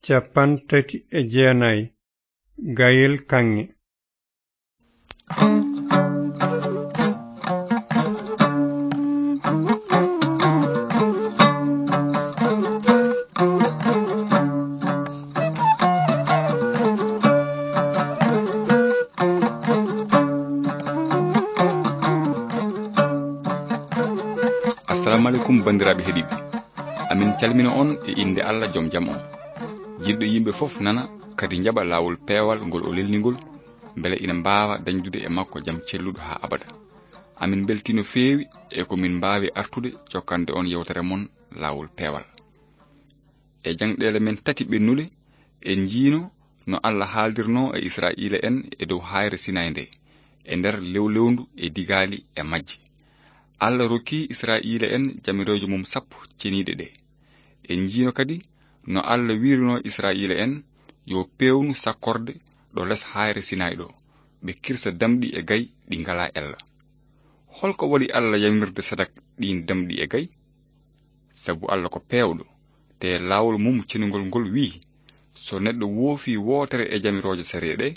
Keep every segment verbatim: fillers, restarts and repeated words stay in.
Cappanɗe tati e jeenayi. Gayel kaŋŋe. Assalamu aleykum, banndiraaɓe heɗiiɓe. Amin calmina on e innde Allah, jom jam on. Jiɗɗo yimɓe fof nana, kadi njaɓa laawol peewal ngol o lelni ngol, mbele ina mbaawa dañdude e makko jam celluɗo haa abada. Amin mbeltii no feewi e ko min mbaawi artude jokkande on yewtere mon laawol peewal. E jangɗeele men tati ɓennuɗe, en njiino no Allah haaldirnoo e Israa'iila en e dow haayre Sinaay nde, e nder lewlewndu e digaali e majje. Allah rokki Israa'iila en jamirooje mum sappo ceniiɗe ɗe. En njiino kadi no Allah wiirunoo Israa'iila en yo peewnu sakkorde ɗo les haayre Sinaay ɗo, ɓe kirsa damɗi e gay ɗi ngalaa ella. Holko waɗi Allah yamirde sadak ɗiin damɗi e gay? Sabu Allah ko peewɗo, te laawol mum cenungol ngol wi'i, so neɗɗo woofi wootere e jamirooje sariya ɗe,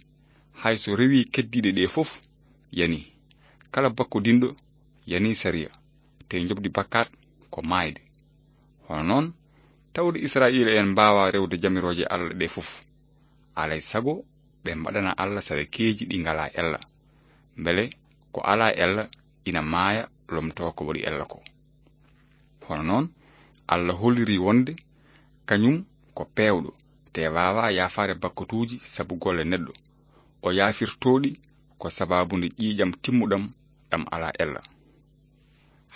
hay so rewi keddiiɗe ɗe fof, yani. Kala bakkodinɗo yani sariya, te njoɓdi bakkaat ko maayde. Hono noon, tawde Israa'iila en mbaawa rewde jamirooje Allah ɗe fof, alay sago ɓe mbaɗana Allah sadakeeji ɗi ngalaa ella, mbele ko alaa ella ina maaya, lomtoo ko waɗi ella ko. Hono noon, Allah holliri wonde kañum ko peewɗo, te waawaa yaafaade bakkotuuji sabu golle neɗɗo. O yaafirtoo ɗi ko sabaabu nde ƴiiƴam timmuɗam ɗam alaa ella.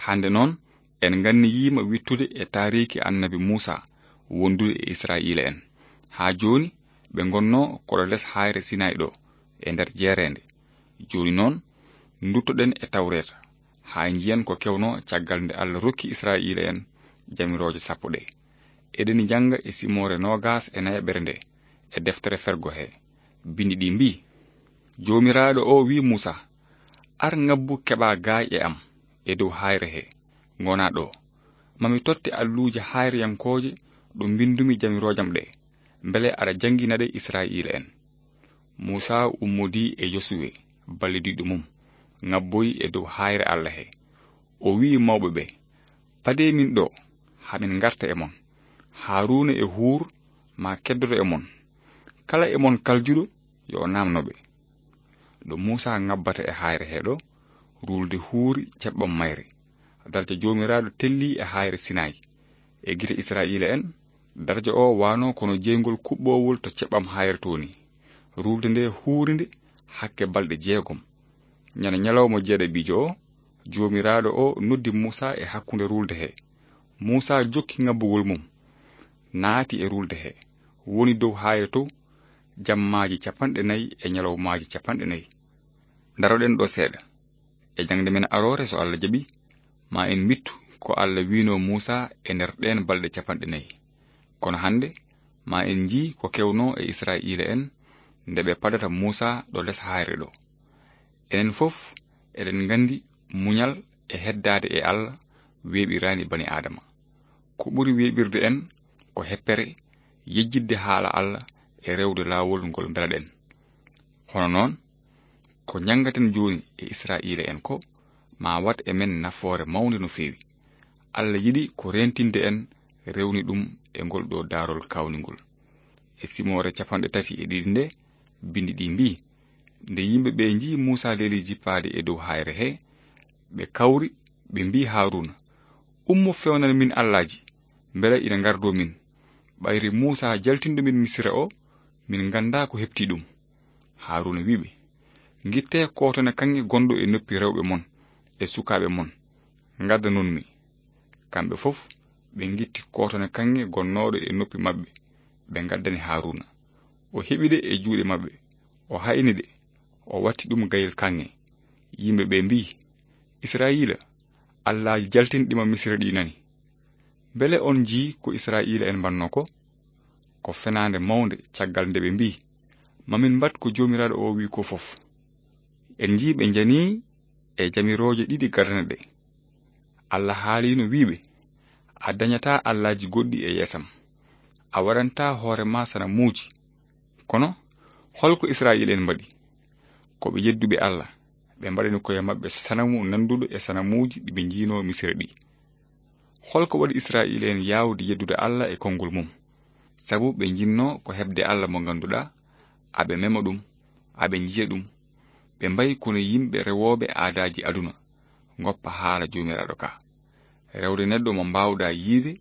Hannde noon, en nganniyiima wittude e taariiki Annabi Muusaa wondude e Israa'iila en, haa jooni ɓe ngonnoo koɗo les haayre Sinaay ɗo, e nder jeereende. Jooni noon, nduttoɗen e Tawreeta, haa njiyen ko kewnoo caggal nde Allah rokki Israa'iila en jamirooje sappo ɗe. Eɗen njannga e simoore noogas e nayaɓere nde, e deftere Fergo he, binndi ɗi mbii, Joomiraaɗo o wi'i Muusaa, "Ar ngabbu keɓaa gaay e am e dow haayre he, ngonaa ɗo. Mami totte alluuje haayreyankooje ɗo mbinndumi jamiroojam ɗe, mbele aɗa janngina ɗe Israa'iila en." Muusaa ummodii e Yosuwe, ballidiiɗo mum, ngabboyi e dow haayre Allah he. O wi'i mawɓe ɓe, "Padee min ɗo, haa min ngarta e mon. Haaruuna e Huur maa keddoto e mon. Kala e mon kaljuɗo, yo o naamno ɓe." Ɗo Muusaa ngabbata e haayre he ɗo, ruulde huuri ceɓɓam mayre. Darja Joomiraaɗo tellii e haayre Sinaay. E gite Israa'iila en, darja o waano kono jeyngol kuɓɓoowol to ceɓɓam haayre to ni. Ruulde nde huuri nde hakke balɗe jeegom. Ñande ñalawma jeeɗaɓiijo o, Joomiraaɗo o noddi Muusaa e hakkunde ruulde he. Muusaa jokki ngabbugol mum, naati e ruulde he, woni dow haayre to, jammaaji capanɗe nayi e ñalawmaaji capanɗe nayi. Ndaroɗen ɗo seeɗa. E jaŋde men aroore, so Allah jaɓi, ma en mbiɗtu ko Allah wiino Muusaa e nder ɗeen balɗe capanɗe nayi. Kono hannde, ma en njii ko kewnoo e Israa'iila en nde ɓe padata Muusaa ɗo les haayre ɗo. Enen fof eɗen nganndi muñal e heddaade e Allah weeɓiraani bani Aadama. Ko ɓuri weeɓirde en ko heppere, yejjitde haala Allah e rewde laawol ngol mbelaɗen. Hono noon, ko njanngaten jooni e Israa'iila en ko, ma waɗ e men nafoore mawnde no feewi. Allah yiɗi ko reentinde en rewni ɗum e ngol ɗo daarol kaawningol. E simoore capanɗe tati e ɗiɗi nde, binndi ɗi mbii, nde yimɓe ɓe njii Muusaa leeli jippaade e dow haayre he, ɓe kawri, ɓe mbii Haaruuna, "Ummo fewnan min allaaji, mbela ina ngardoo min. Ɓayri Muusaa jaltinɗo min Misira o, min nganndaa ko heɓtii ɗum." Haaruuna wi'i ɓe, "Ngittee kootone kaŋŋe gonɗo e noppi rewɓe mon e sukaaɓe mon, ngaddanon mi." Kamɓe fof ɓe ngitti kootone kaŋŋe gonnooɗo e noppi maɓɓe, ɓe ngaddani Haaruuna. O heɓi ɗe e juuɗe maɓɓe, o hayni ɗe, o watti ɗum gayel kaŋŋe. Yimɓe ɓe mbii, "Israa'iila, allaaji jaltinɗi ma Misira ɗi nani. Mbele on njii ko Israa'iila en mbanno ko? Ko fenaande mawnde caggal nde ɓe mbii, 'Ma min mbaɗ ko Joomiraaɗo o wi'i ko fof.'" En njii ɓe njanii e jamirooje ɗiɗi gadane ɗe. Allah haaliino wi'i ɓe, "A dañataa allaaji goɗɗi e yeesam." A waɗanta hoore ma sanamuuji. Kono, hol ko Israa'iila'en mbaɗi? Ko ɓe yedduɓe Allah. Ɓe mbaɗani koye maɓɓe sanamu nannduɗo e sanamuuji ɗi ɓe njiinoo Misira ɗi. Hol ko waɗi Israa'iila'en yaawde yeddude Allah e konngol mum? Sabu ɓe njinnoo ko heɓde Allah mo ngannduɗaa, aɓe mema ɗum, aɓe njiya ɗum. Ɓe mbayi kono yimɓe rewooɓe aadaaji aduna, ngoppa haala Joomiraaɗo ka. Rewde neɗɗo mo mbaawɗaa yiide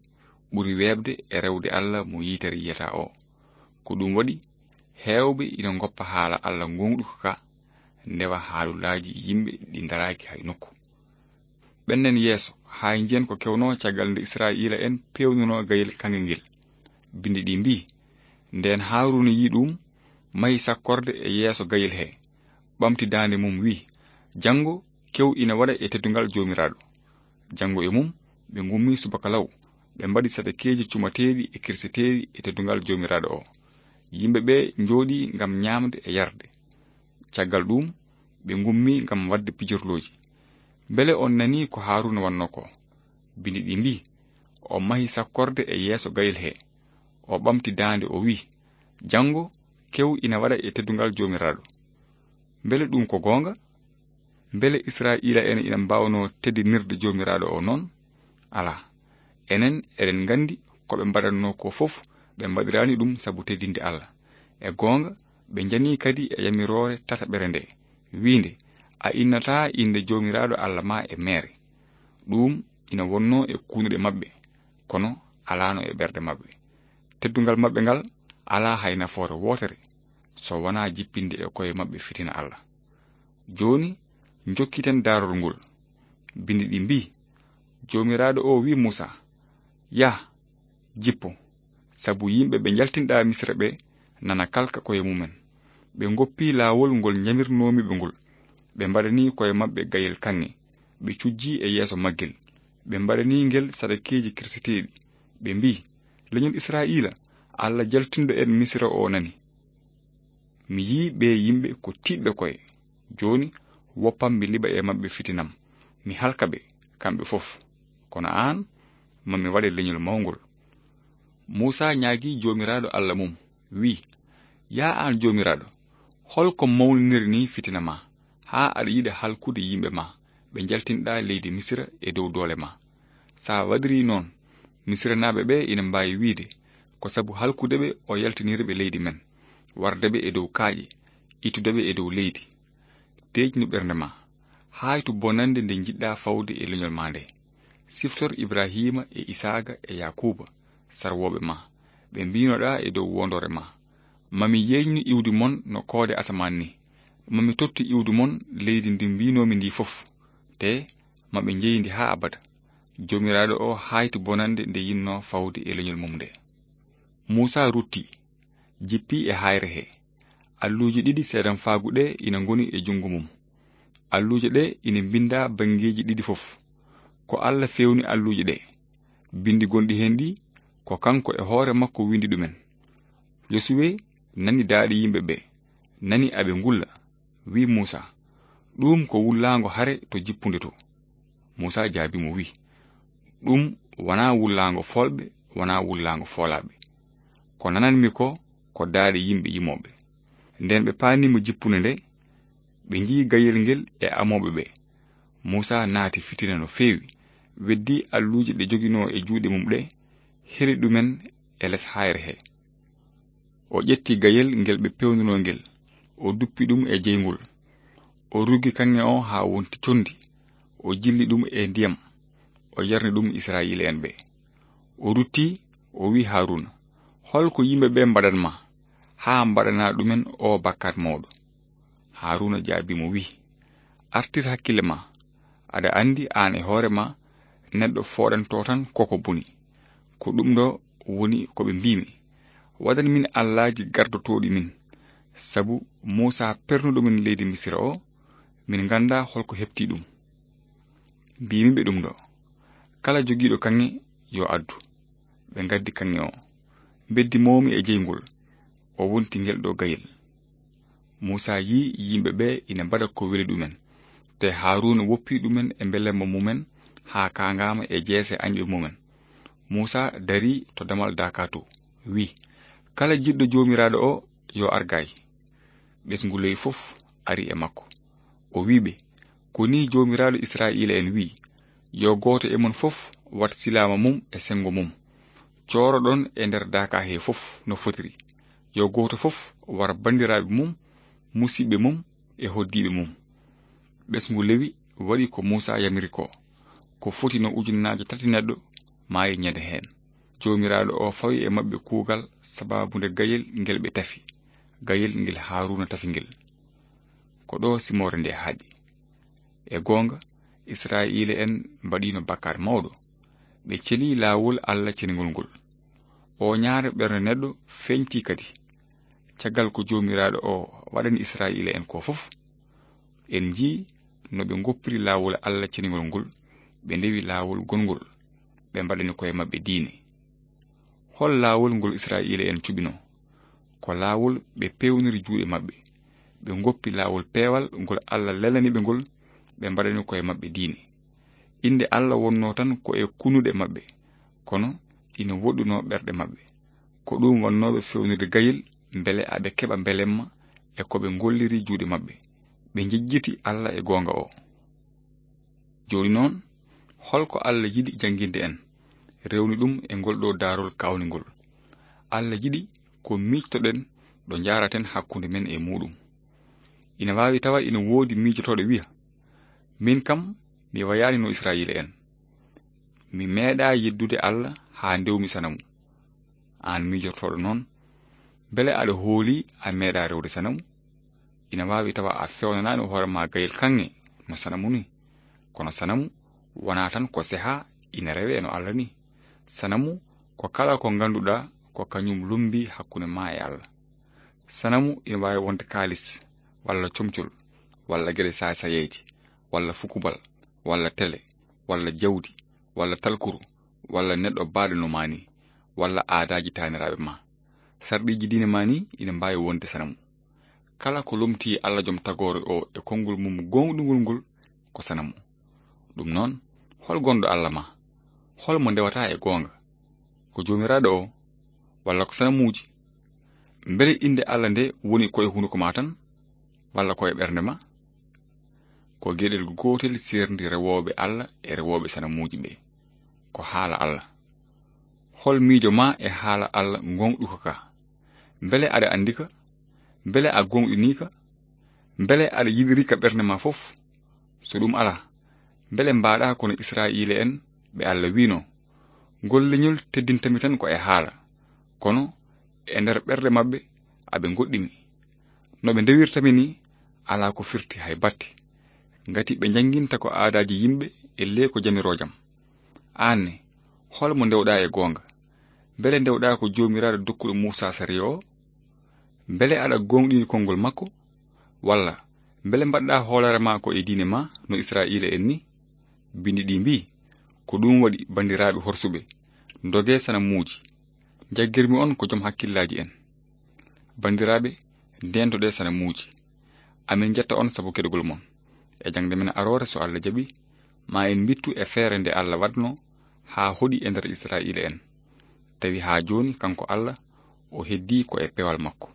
ɓuri weeɓde e rewde Allah mo yitere yiyata o. Ko ɗum waɗi, heewɓe ina ngoppa haala Allah goongɗuka ka, ndewa haalulaaji yimɓe ɗi ndaraaki hay nokku. Ɓennen yeeso, haa njiyen ko kewnoo caggal nde Israa'iila'en peewnunoo gayel kaŋŋe ngel. Binndi ɗi mbii, ndeen Haaruuna yii ɗum, mahi sakkorde e yeeso gayel he, ɓamti daande mum, wii, janngo kew ina waɗa e teddungal Joomiraaɗo. Janngo e mum, ɓe ngummii subaka law, ɓe mbaɗi sadakeeji cumateeɗi e kirseteeɗi e teddungal Joomiraaɗo o. Yimɓe ɓe njooɗii ngam nyaamde e yarde. Caggal ɗum, ɓe ngummii ngam waɗde pijirlooji. Mbele on nanii ko Haaruuna wannoo ko? Binndi ɗi mbii, o mahi sakkorde e yeeso gayel he. O ɓamti daande, o wii, janngo kew ina waɗa e teddungal Joomiraaɗo. Mbele ɗum ko goonga? Mbele Israa'iila'en ina mbaawnoo teddinirde Joomiraaɗo o noon? Alaa. Enen eɗen nganndi ko ɓe mbaɗatnoo ko fof, ɓe mbaɗiraani ɗum sabu teddinde Allah. E goonga, ɓe njanii kadi e yamiroore tataɓere nde, wiinde, a innataa innde Joomiraaɗo Allah ma e meere. Ɗum ina wonnoo e kuunuɗe maɓɓe, kono alaano e ɓerɗe maɓɓe. Teddungal maɓɓe ngal alaa hay nafoore wootere, so wonaa jippinde e koye maɓɓe fitina Allah. Jooni, njokkiten daarorgol. Binndi ɗi mbii, Joomiraaɗo o wii Muusaa, yah, jippo, sabu yimɓe ɓe njaltinɗaa Misira ɓe nana kalka koye mumen. Ɓe ngoppii laawol ngol njamirnoomi ɓe ngol. Ɓe mbaɗanii koye maɓɓe gayel kaŋŋe. Ɓe cujjii e yeeso maggel. Ɓe mbaɗanii ngel sadakeeji kirseteeɗi. Ɓe mbii, leñol Israa'iila, Allah jaltinɗo en Misira o nani. Mi yii ɓee yimɓe ko tiiɗɓe koye. Jooni, woppam mi liɓa e maɓɓe fitinam. Mi halka ɓe, kamɓe fof. Kono aan, ma mi waɗe leñol mawngol. Muusaa ñaagii Joomiraaɗo Allah mum, wii, yaa aan Joomiraaɗo, hol ko mawniniri nii fitina ma, haa aɗa yiɗa halkude yimɓe ma, ɓe njaltinɗaa leydi Misira e dow doole ma? So a waɗirii noon, Misiranaaɓe ɓe ina mbaawi wiyde, ko sabu halkude ɓe o yaltiniri ɓe leydi men, warde ɓe e dow kaaƴe, ittude ɓe e dow leydi. Deeƴnu ɓernde ma, haaytu bonannde nde njiɗɗaa fawde e leñol ma nde. Siftor Ibrahiima e Isaaqa e Yaakuuba, sarwooɓe ma, ɓe mbiinoɗaa e dow wondoore ma. Ma mi yeeƴnu iwdi mon no koode asamaan ni. Ma mi tottu iwdi mon leydi ndi mbiinoomi ndi fof. Te ma ɓe njeyndi haa abada. Joomiraaɗo o haaytu bonannde nde yinnoo fawde e leñol mum nde. Muusaa rutti, jippi e haayre he. Alluuje ɗiɗi seedanfaagu ɗe ina ngoni e junngo mum. Alluuje ɗe ina mbinndaa banngeeji ɗiɗi fof. Ko Allah feewni alluuje ɗe. Binndi gonɗi heen ɗi, ko kanko e hoore makko winndi ɗumen. Yosuwe nani daaɗe yimɓe ɓe, nani aɓe ngulla, wii Muusaa, ɗum ko wullaango hare to jippunde to. Muusaa jaabii mo, wii, ɗum wonaa wullaango foolɓe, wonaa wullaango foolaaɓe. Ko nananmi ko, ko daaɗe yimɓe yimooɓe. Nden ɓe paaniima jippunde nde, ɓe njii gayel ngel e amooɓe ɓe. Muusaa naati fitina no feewi, weddii alluuje ɗe joginoo e juuɗe mum ɗe, heli ɗumen e les haayre he. O ƴetti gayel ngel ɓe peewnunoo ngel, o duppi ɗum e jeyngol. O ruggi kaŋŋe o haa wonti conndi, o jilli ɗum e ndiyam, o yarni ɗum Israa'iila'en ɓe. O rutti, o wii Haaruuna, hol ko yimɓe ɓe mbaɗan ma, haa mbaɗanaa ɗumen o bakkaat mawɗo? Haaruuna jaabii mo, wii, artir hakkille ma, aɗa anndi aan e hoore ma, neɗɗo fooɗanto tan koko boni. Ko ɗum ɗo woni ko ɓe mbiimi, waɗan min allaaji gardotooɗi min, sabu Muusaa pernuɗo min leydi Misira o, min nganndaa hol ko heɓtii ɗum. Mbiimi ɓe ɗum ɗo, kala jogiiɗo kaŋŋe yo addu. Ɓe ngaddi kaŋŋe o, mbeddi moomi e jeyngol, o wonti ngel ɗo gayel. Muusaa yii yimɓe ɓe ina mbaɗa ko weli ɗumen, te Haaruuna woppi ɗumen e mbelemma mumen haa kaangaama e jeese añɓe mumen. Muusaa darii to damal daaka to, Wi'i, "Kala jiɗɗo Joomiraaɗo o, yo ar gaay." Ɓesngu leydi fof ari e makko. O wi'i ɓe, "Ko nii Joomiraaɗo Israa'iila'en wi'i, 'Yo gooto e mon fof wat silaama mum e senngo mum. Cooroɗon e nder daaka hee fof no fotiri. Yo gooto fof war banndiraaɓe mum, musiɓɓe mum e hoɗdiiɓe mum.'" Ɓesngu Lewi waɗi ko Muusaa yamiri koo. Ko foti no ujunnaaje tati neɗɗo maayi ñande heen. Joomiraaɗo o fawi e maɓɓe kuugal sabaabu nde gayel ngel ɓe tafi, gayel ngel Haaruuna tafi ngel. Ko ɗo simoore nde haaɗi. E goonga, Israa'iila'en mbaɗiino bakkaat mawɗo. Ɓe celii laawol Allah ceningol ngol. O ñaare ɓernde neɗɗo feeñtii kadi. Caggal ko Joomiraaɗo o waɗani Israa'iila'en ko fof, en njii no ɓe ngoppiri laawol Allah ceningol ngol, ɓe ndewi laawol gongol, ɓe mbaɗani koye maɓɓe diine. Hol laawol ngol Israa'iila'en cuɓinoo? Ko laawol ɓe peewniri juuɗe maɓɓe. Ɓe ngoppi laawol peewal ngol Allah lelani ɓe ngol, ɓe mbaɗani koye maɓɓe diine. Innde Allah wonnoo tan ko e kunuɗe maɓɓe, kono ina woɗɗunoo ɓerɗe maɓɓe. Ko ɗum wannooɓe feewnirde gayel, mbele aɓe keɓa mbelemma e ko ɓe ngolliri juuɗe maɓɓe. Ɓe njejjiti Allah e goonga o. Jooni noon, hol ko Allah yiɗi jannginde en, rewni ɗum e ngol ɗo daarol kaawningol? Allah yiɗi ko miijtoɗen ɗo njaaraten hakkunde men e muuɗum. Ina waawi tawa ina woodi miijotooɗo wiya, "Min kam, mi wayaani no Israa'iila'en. Mi meeɗaa yeddude Allah haa ndewmi sanamu." Aan miijotooɗo noon, mbele aɗa hooli a meeɗaa rewde sanamu? Ina waawi tawa a feewnanaani hoore ma gayel kaŋŋe no sanamu ni. Kono sanamu wonaa tan ko seha ina rewee no Allah ni. Sanamu ko kala ko ngannduɗaa ko kañum lummbi hakkunde ma e Allah. Sanamu ina waawi wonde kaalis, walla comcol, walla geɗe saay-saayeeje, walla fukubal, walla tele, walla jawdi, walla talkuru, walla neɗɗo baaɗo no ma ni, walla aadaaji taaniraaɓe ma. Sarɗiiji diine ma ni ina mbaawi wonde sanamu. Kala ko lomtii Allah joom tagoore o e konngol mum gooŋɗungol ngol ko sanamu. Ɗum noon, hol gonɗo Allah ma? Hol mo ndewata e goonga? Ko Joomiraaɗo o, walla ko sanamuuji? Mbele innde Allah nde woni koye hunuko ma tan, walla koye ɓernde ma? Ko geɗel gootel seerndi rewooɓe Allah e rewooɓe sanamuuji ɓe. Ko haala Allah. Hol miijo ma e haala Allah gooŋɗuka ka? Mbele aɗa anndi ka? Mbele a gooŋɗinii ka? Mbele aɗa yiɗiri ka ɓernde ma fof? So ɗum alaa, mbele mbaɗa kono Israa'iila'en ɓe Allah wi'no, "Ngol leñol teddintami tan ko e haala, kono e nder ɓerɗe maɓɓe aɓe ngoɗɗimi. No ɓe ndewirtami ni, alaa ko firti hay batte. Ngati ɓe njannginta ko aadaaji yimɓe e le ko jamirojam." Aan ne, hol mo ndewɗa e goonga? Mbele ndewɗa ko Joomiraaɗo dokkuɗo Muusaa sariya o? Mbele aɗa gooŋɗini konngol makko? Walla mbele mbaɗɗa hoolaare ma ko e diine ma no Israa'iila'en ni? Binndi ɗi mbii, "Ko ɗum waɗi, banndiraaɓe horsuɓe, ndogee sanamuuji. Njaggirmi on ko joom hakkillaaji en." Banndiraaɓe, ndeentoɗee sanamuuji. Amin njetta on sabu keɗogol mon. E jaŋde men aroore, so Allah jaɓi, ma en mbittu e feere nde Allah waɗno haa hoɗi e nder Israa'iila'en. Tawi haa jooni kanko Allah o heddii ko e peewal makko.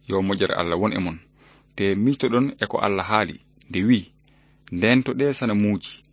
Yo moƴƴere Allah won e mon, te miijtoɗon e ko Allah haali nde wi'i, "Ndeentoɗee sanamuuji,